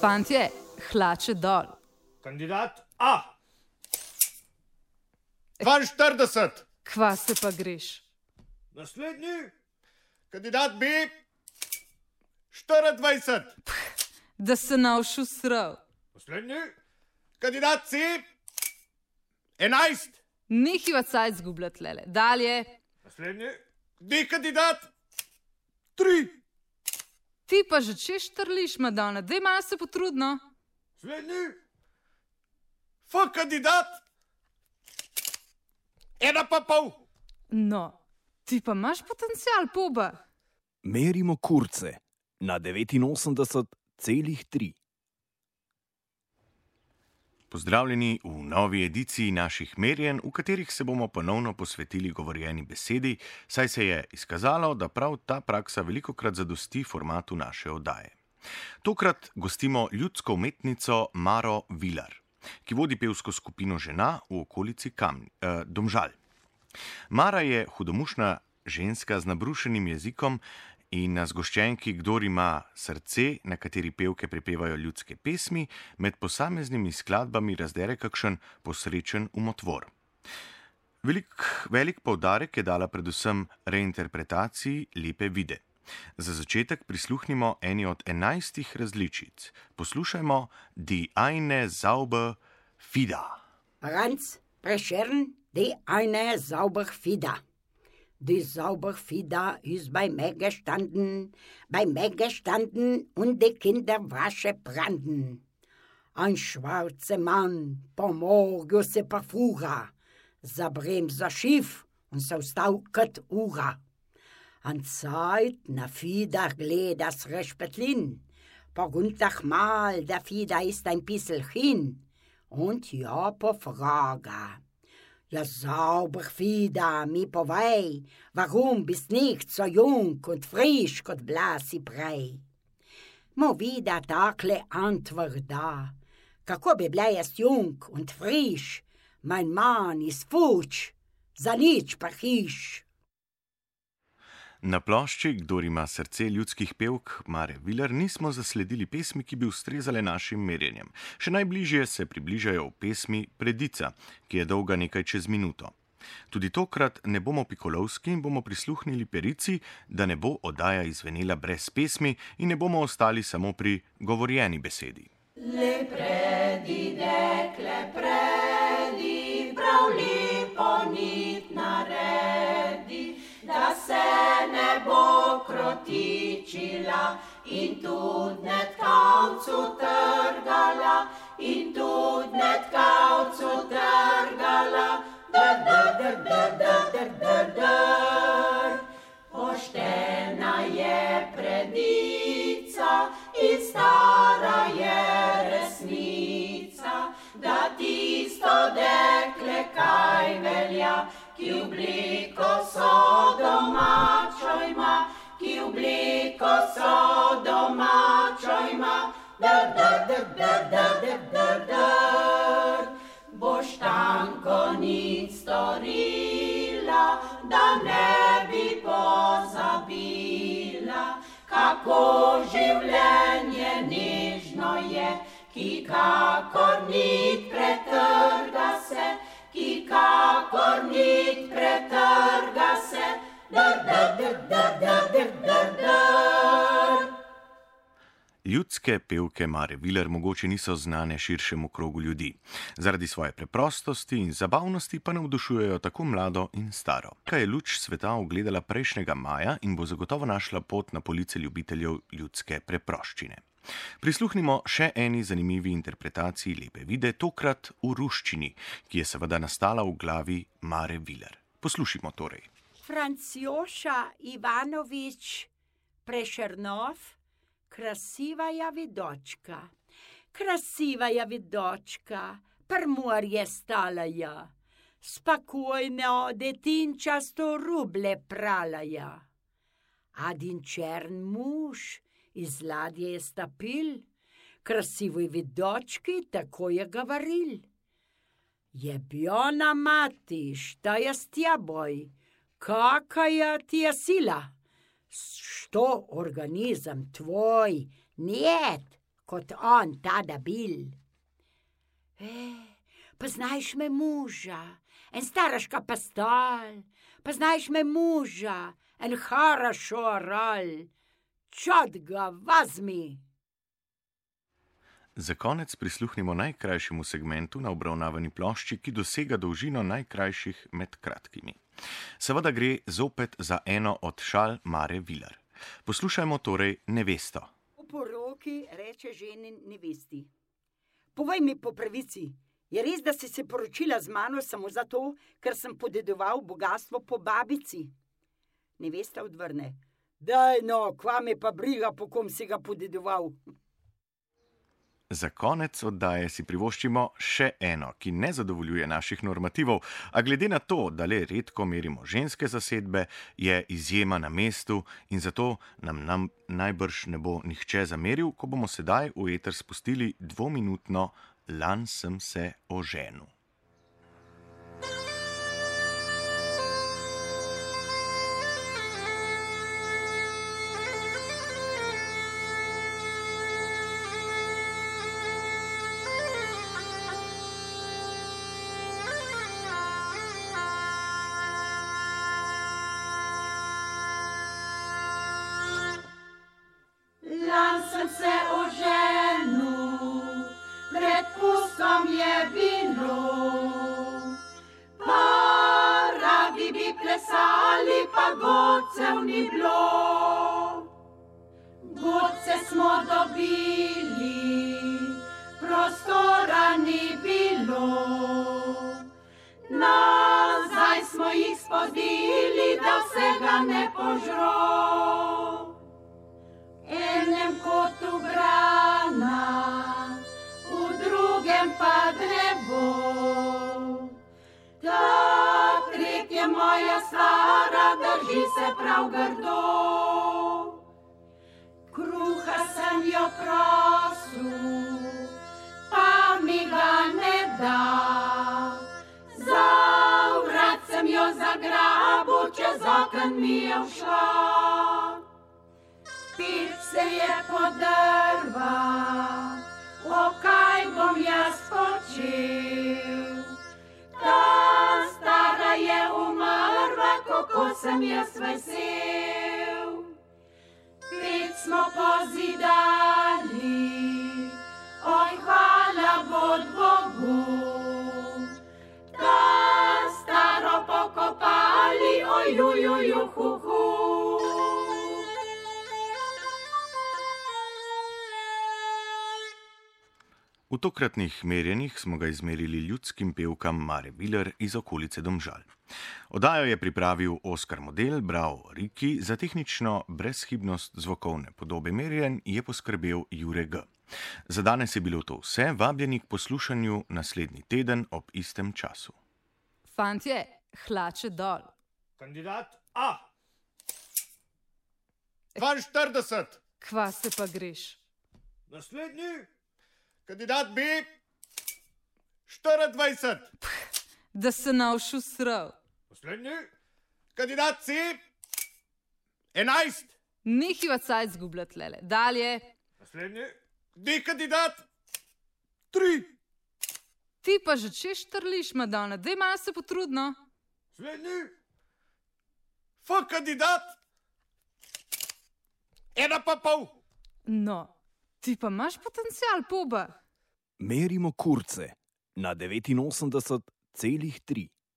Fantje, hlače dol. Kandidat A. 42. Kva se pa greš? Naslednji. Kandidat B. 24. Da se navšu srav. Naslednji. Kandidat C. 11. Nehiva cajt zgubljat lele. Dalje. Naslednji. D kandidat. 3. Ti pa že češ trliš, Madonna. Dej malo se potrudno. Naslednji. F kandidat. 1,5. No, ti pa imaš potencial, poba. Merimo kurce na 89,3. Pozdravljeni v novi ediciji naših merjenj, v katerih se bomo ponovno posvetili govorjeni besedi, saj se je izkazalo, da prav ta praksa velikokrat zadosti formatu naše oddaje. Tokrat gostimo ljudsko umetnico Maro Vilar, ki vodi pevsko skupino Žena v okolici Domžal. Mara je hudomušna ženska z nabrušenim jezikom in na zgoščenki Kdor ima srce, na kateri pevke prepevajo ljudske pesmi, med posameznimi skladbami razdere kakšen posrečen umotvor. Velik poudarek je dala predvsem reinterpretaciji Lepe vide. Za začetek prisluhnimo eni od 11 različic. Poslušajmo Die eine Zauber Fida. Franz Prešern, Die eine Zauber Fida. Die Zauberfieder ist bei mir gestanden und die Kinderwasche brannten. Ein schwarzer Mann, pomorgo se parfuga, zabremsa Schiff und so stauket Ura. An Zeit na Fieder gledas Respetlin, poguntach mal, der Fieder ist ein bissel hin, und ja po Frage. Ja, sauber Fieder, mi povej, warum bist nicht so jung und frisch kot blasi Brei? Mo wieder takle Antwort da, kako bi bila jaz jung und frisch, mein Mann ist futsch, za nič pa hiš. Na plošči Kdor ima srce ljudskih pevk Mare Vilar nismo zasledili pesmi, ki bi ustrezale našim merjenjem. Še najbližje se približajo v pesmi Predica, ki je dolga nekaj čez minuto. Tudi tokrat ne bomo pikolovski in bomo prisluhnili perici, da ne bo oddaja izvenela brez pesmi in ne bomo ostali samo pri govorjeni besedi. Le predi, dekle predi, prav lepo nit naredi, da se ne bo krotičila in tudi ne tkavcu trgala, in tudi ne tkavcu trgala, dr. Poštena je predica in stara je resnica, da tisto dekle kaj velja, ki obliko so domačo ima, ki obliko so domačo ima, dr. Boš tanko nič storila, da ne bi pozabila, kako življenje nežno je, ki kakor nit pretrga se, ki kakor nit pretrga se, Ljudske pevke Mare Vilar mogoče niso znane širšemu krogu ljudi. Zaradi svoje preprostosti in zabavnosti pa navdušujejo tako mlado in staro. Kaj je luč sveta ugledala prejšnjega maja in bo zagotovo našla pot na police ljubiteljev ljudske preproščine. Prisluhnimo še eni zanimivi interpretaciji Lepe vide, tokrat v ruščini, ki je seveda nastala v glavi Mare Vilar. Poslušimo torej. Francjoša Ivanovič Prešernov, krasivaja vidočka, per morje stalaja, spokojno detinčasto ruble pralaja. Adin čern muž iz ladje je stopil, krasivoj vidočki tako je govoril. Jebjona mati, šta je s tjeboj, kakaja ti je sila? Što organizam tvoj, njet, kot on, ta debil. Poznajš me moža, en staraška pastol, poznajš me moža, en хорошо орал, čot ga vazmi. Za konec prisluhnimo najkrajšemu segmentu na obravnavani plošči, ki dosega dolžino najkrajših med kratkimi. Seveda gre zopet za eno od šal Mare Viler. Poslušajmo torej Nevesto. V poroki reče ženi nevesti: povej mi po pravici, je res, da si se poročila z mano samo zato, ker sem podedoval bogastvo po babici? Nevesta odvrne: daj no, kva me pa briga, po kom si ga podedoval. Za konec oddaje si privoščimo še eno, ki ne zadovoljuje naših normativov, a glede na to, da le redko merimo ženske zasedbe, je izjema na mestu in zato nam najbrž ne bo nihče zameril, ko bomo sedaj v eter spustili 2-minutno Lan sem se oženil. Sem se oženil, pred pustom je bilo, pa radi bi plesali, pa godcev ni bilo. Godce smo dobili, prostora ni bilo, nazaj smo jih spodili, da vsega ne požro. Enem kotu grana, v drugem pa drevo. Ta tretja moja stara drži se prav grdo. Kruha sem jo prosil, pa mi ga ne da. Za vrat sem jo zagrabil, čez oken mi je všla. Pič se je podrva, o kaj bom jaz počel. Ta stara je umrla, kako sem jaz vesel. Pič smo pozidali, oj hvala bod Bogu. Ta staro pokopali, oj jujuju hu hu. V tokratnih merjenjih smo ga izmerili ljudskim pevkam Mare Viler iz okolice Domžal. Oddajo je pripravil Oskar Model, bral Riki, za tehnično brezhibnost zvokovne podobe merjenj je poskrbel Jure G. Za danes je bilo to vse, vabljeni k poslušanju naslednji teden ob istem času. Fantje, hlače dol. Kandidat A. 42. Kva se pa greš? Naslednji. Kandidat B. 24. Da se navšu srav. Naslednji. Kandidat C. 11. Nehiva cajt zgubljati, lele. Dalje. Naslednji. D. Kandidat 3. Ti pa že češ trliš, Madonna. Dej malo se potrudno. Naslednji. F. Kandidat 1,5. No, ti pa imaš potencial, poba. Merimo kurce na 89,3.